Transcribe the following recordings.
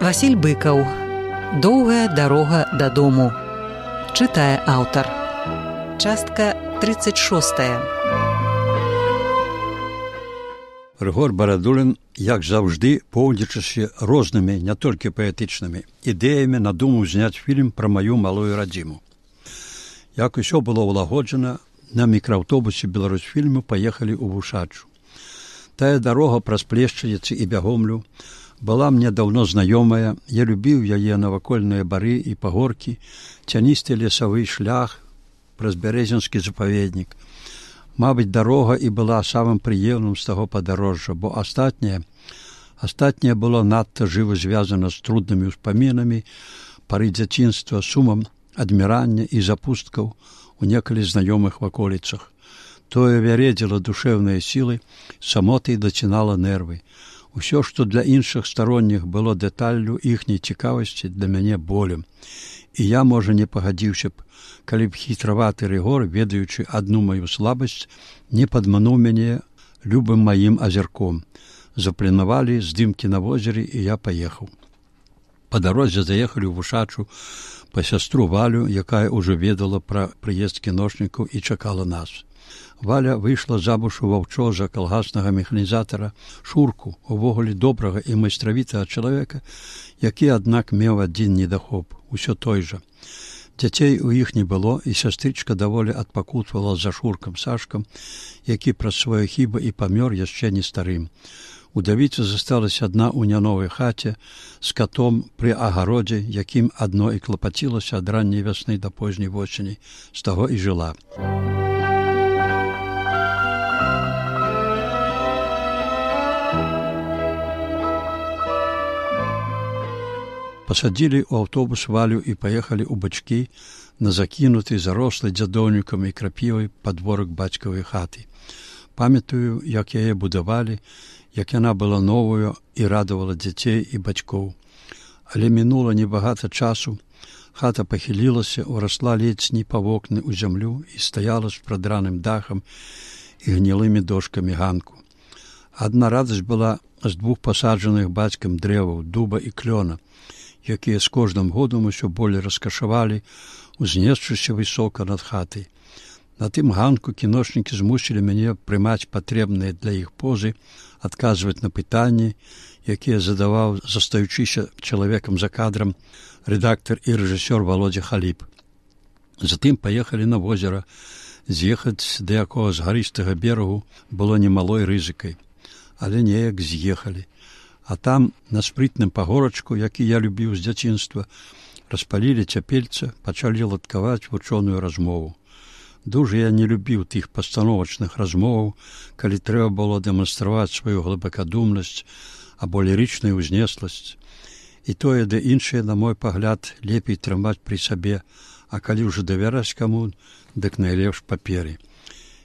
Васіль Быкаў. Доўгая дарога дадому. Чытае аўтар. Частка 36. Рыгор Барадулін, як заўжды, поўдзячыся рознымі, не толькі паэтычнымі ідэямі, надумаў зняць фільм пра маю малую радзіму. Як усё было ўлагоджана, на мікрааўтобусе Беларусьфільму паехалі ў Вушачу. Тая дарога праз Плешчаніцы і Бягомлю была мне даўно знаёмая, я любіў яе навакольныя бары і пагоркі, цяністы лесавы шлях праз бярэзінскі запаведнік. Мабыць, дарога і была самым прыемным з таго падарожжа, бо астатняе было надта жыва звязана з труднымі ўспамінамі, пары дзяцінства, сумам адмірання і запусткаў у некалі знаёмых ваколіцах. Тое вяредзіла душэўныя сілы, самотай дацінала нервы. Усё, што для іншых старонніх было дэталлю іхняй цікавасці, для мяне болем. І я, можа, не пагадзіўся б, калі б хітраваты Рыгор, ведаючы адну маю слабасць, не падмануў мяне любым маім азірком. Запланавалі здымкі на возеры, і я паехаў. Па дарозе заехалі ў Вушачу па сястру Валю, якая ўжо ведала пра прыезд кіношнікаў і чакала нас. Валя выйшла замуж у ваўчоза калгаснага механізатара Шурку, увогуле добрага і майстравітага чалавека, які, аднак, меў адзін недахоп, усё той жа. Дзяцей у іх не было, і сястрычка даволі адпакутвала за Шуркам Сашкам, які праз свае хібы і памёр яшчэ не старым. Удавіца засталася адна ў няновай хаце з катом пры агародзе, якім адно і клапацілася ад ранняй вясны да позняй восені, з таго і жыла. Пасадзілі ў аўтобус Валю і паехалі ў бачкі на закінуты, зарослы дзядоўнікам і крапівай падворак бацькавай хаты. Памятаю, як яе будавалі, як яна была новую і радавала дзяцей і бацькоў. Але мінула небагата часу, хата пахілілася, урасла ледзь па вокны ў зямлю і стаяла з прадраным дахам і гнілымі дошкамі ганку. Адна радасць была з двух пасаджаных бацькам дрэваў, дуба і клёна, якія з кожным годам усё болей раскашавалі, узнесшыся высока над хатай. На тым ганку кіношнікі змусілі мяне прымаць патрэбныя для іх позы, адказваць на пытанні, якія задаваў, застаючыся чалавекам за кадрам, рэдактар і рэжысёр Володя Халіп. Затым паехалі на возера. З'ехаць да якога з гарыстага берагу было немалой рызыкай, але неяк з'ехалі. А там, на спрытным пагорачку, які я любіў з дзяцінства, распалілі цяпельца, пачалі ладкаваць вучоную размову. Дужа я не любіў тых пастановачных размоваў, калі трэба было дэманстраваць сваю глыбакадумнасць або лірычную ўзнесласць. І тое, ды іншае, на мой пагляд, лепей трымаць пры сабе, а калі ўжо давяраць каму, дык найлепш паперы.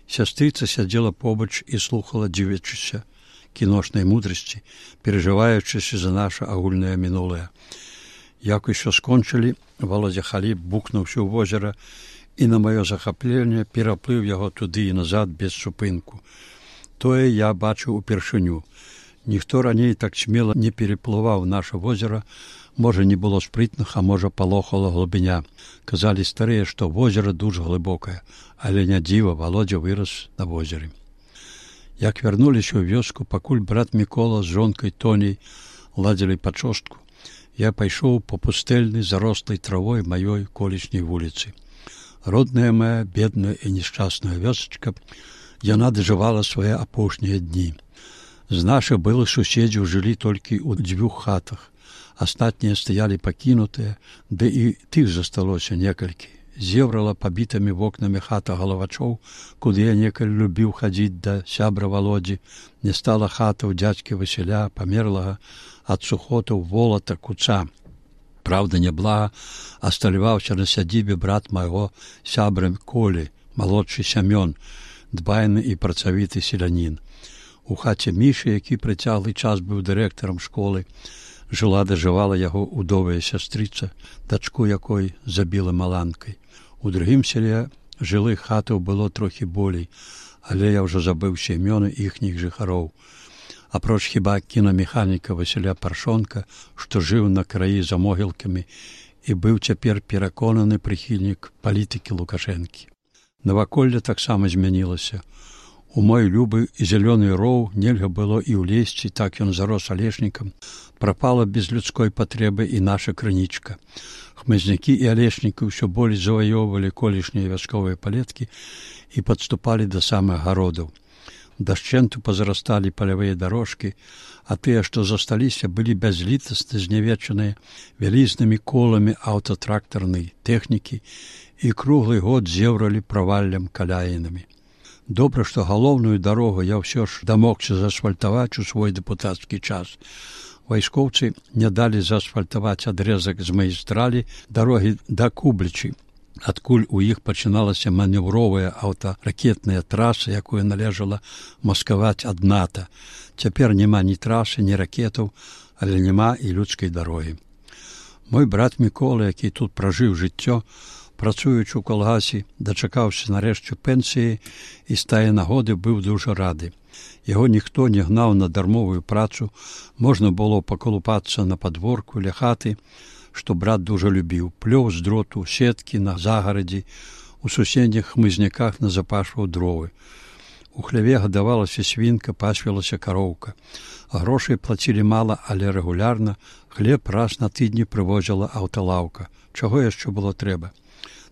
Сястрыца сядзела побач і слухала, дзівячыся кіношнай мудрасці, перажываючыся за наша агульнае мінулае. Як усё скончылі, Володя Халіп бухнуўся ў возера і на маё захапленне пераплыў яго туды і назад без супынку. Тое я бачыў упершыню. Ніхто раней так смела не пераплываў наша возера, можа, не было спрытных, а можа, палохала глыбіня. Казалі старыя, што возера дужа глыбокае, але не дзіва, Володя вырас на возеры. Як вярнуліся ў вёску, пакуль брат Мікола з жонкай Тоняй ладзілі пачостку, я пайшоў па пустэльнай зарослай травой маёй колішняй вуліцы. Родная моя, бедная і нешчасная вёсачка, яна дажывала свае апошнія дні. З нашых былых суседзяў жылі толькі ў 2 хатах. Астатнія стаялі пакінутыя, ды і тых засталося некалькі. Зеврала пабітымі вокнамі хата Галавачоў, куды я некалі любіў хадзіць да сябра Володзі. Не стала хата ў дзядзькі Васіля, памерлага ад сухотаў волата Куца. Праўда, няблага асталяваўся на сядзібе брат майго сябра Колі, малодшы Сямён, дбайны і працавіты селянін. У хаце Мішы, які прыцяглы час быў дырэктарам школы, жыла дажывала яго удовая сястрыца, дачку якой забіла маланкай. У другім селе жылых хатаў было трохі болей, але я ўжо забыўся імёны іхніх жыхароў. апроч хіба кінамеханіка Васіля Паршонка, што жыў на краі за могілкамі і быў цяпер пераконаны прыхільнік палітыкі Лукашэнкі. Наваколле таксама змянілася. У мой любы і зялёны роў нельга было і ўлезці, так ён зарос алешнікам. Прапала без людской патрэбы і наша крынічка. Хмызнякі і алешнікі ўсё болей заваёўвалі колішнія вясковыя палеткі і падступалі да самых гародаў. Дашчэнту пазарасталі палявыя дарожкі, а тыя, што засталіся, былі бязлітасна знявечаныя вялізнымі коламі аўтатрактарнай тэхнікі і круглы год зеўралі праваллям каляінамі. Добра, што галоўную дарогу я ўсё ж дамогся заасфальтаваць у свой дэпутацкі час. Вайскоўцы не далі заасфальтаваць адрэзак з магістралі дарогі да Кублічы, адкуль у іх пачыналася манеўровая аўтаракетная траса, якую належала маскаваць ад НАТО. Цяпер няма ні трасы, ні ракетаў, але няма і людскай дарогі. Мой брат Мікола, які тут пражыў жыццё, працуючы ў калгасе, дачакаўся нарэшце пенсіі і з тае нагоды быў дужа рады. Яго ніхто не гнаў на дармовую працу, можна было паколупацца на падворку ля хаты, што брат дужа любіў, плёў з дроту, сеткі на загарадзі, у суседніх хмызняках назапашваў дровы. У хляве гадавалася свінка, пасвілася кароўка. Грошай плацілі мала, але рэгулярна, хлеб раз на тыдні прывозіла аўталаўка. Чаго яшчэ было трэба?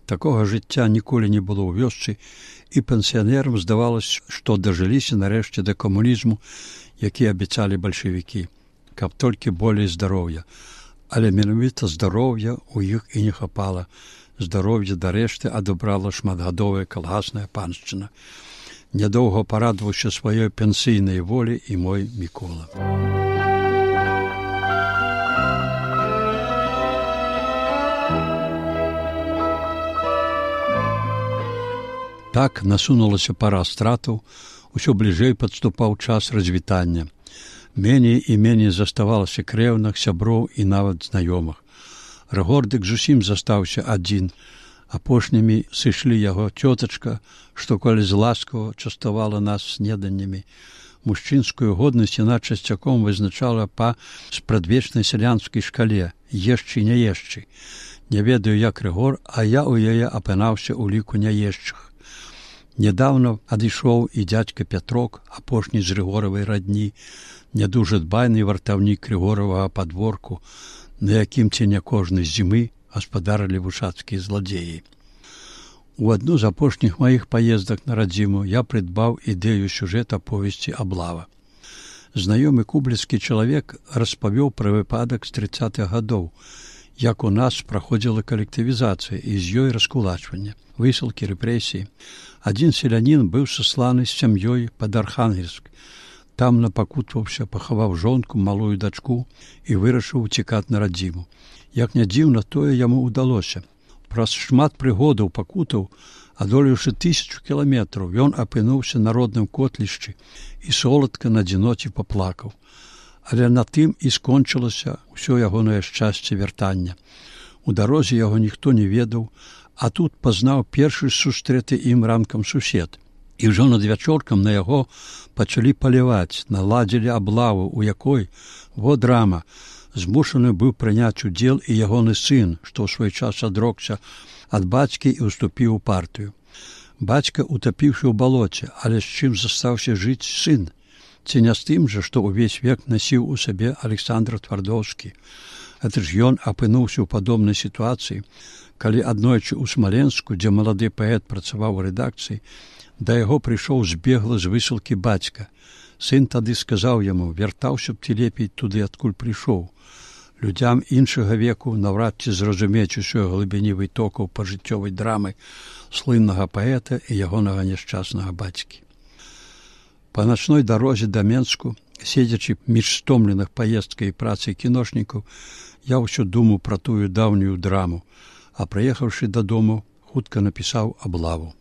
Такога жыцця ніколі не было ў вёсцы, і пенсіянерам здавалася, што дажыліся нарэшце да камунізму, які абяцалі бальшавікі, каб толькі болей здароўя. Але менавіта здароўя ў іх і не хапала. Здароўе дарэшты адабрала шматгадовая калгасная паншчына. Нядоўга парадаваўся сваёй пенсійнай волі і мой Мікола. Так насунулася пара стратаў, усё бліжэй падступаў час развітання. Меней і меней заставалася крэўных, сяброў і нават знаёмых. Рыгордык зусім застаўся адзін. Апошнімі сышлі яго цётачка, што коли зласкава частавала нас снеданнямі. Мужчынскую годнасць яна часцяком вызначала па спрадвечнай сялянскай шкале «ешчы, не ешчы». Не ведаю, як Рыгор, а я ў яе апынаўся ў ліку няешчых. Нядаўна адышоў і дзядзька Пятрок, апошні з Рыгоравай радні, не дужа дбайны вартаўнік Рыгоравага падворку, на якім ці не кожнай зімы гаспадарылі вушацкія зладзеі. У адну з апошніх маіх паездак на радзіму я прыдбаў ідэю сюжэта повесці «Аблава». Знаёмы кубліцкі чалавек распавёў пра выпадак з 30-х гадоў, як у нас праходзіла калектывізацыя і з ёй раскулачванне, высылкі, рэпрэсіі. Адзін селянін быў сасланы з сям'ёй пад Архангельск. Там напакутваўся, пахаваў жонку, малую дачку і вырашыў уцікаць на радзіму. Як не дзіўна, тое яму ўдалося. Праз шмат прыгодаў пакутаў, адолеўшы 1000 кіламетраў, ён апынуўся на родным котлішчы і соладка на адзіноце паплакаў. Але на тым і скончылася ўсё ягонае шчасце вяртання. У дарозе яго ніхто не ведаў, а тут пазнаў першы сустрэты ім ранкам сусед. І ўжо над вячоркам на яго пачалі паляваць, наладзілі аблаву, у якой, во драма, змушаны быў прыняць удзел і ягоны сын, што ў свой час адрокся ад бацькі і ўступіў у партыю. Бацька утапіўшы ў балоце, але з чым застаўся жыць сын? Ці не з тым жа, што ўвесь век насіў у сабе Александр Твардоўскі. Гэта ж ён апынуўся ў падобнай сітуацыі, калі аднойчы ў Смаленску, дзе малады паэт працаваў у рэдакцыі, да яго прыйшоў збегла з высылкі бацька. Сын тады сказаў яму: «Вяртаўся б ты лепей туды, адкуль прыйшоў». Людзям іншага веку наўрад ці зразумець усёй глыбіні вытокаў пажыццёвай драмы слыннага паэта і ягонага няшчаснага бацькі. Па начной дарозе да Менску, седзячы між стомленых паездкай і працай кіношнікаў, я ўсё думаў пра тую даўнюю драму, а прыехаўшы дадому, хутка напісаў «Аблаву».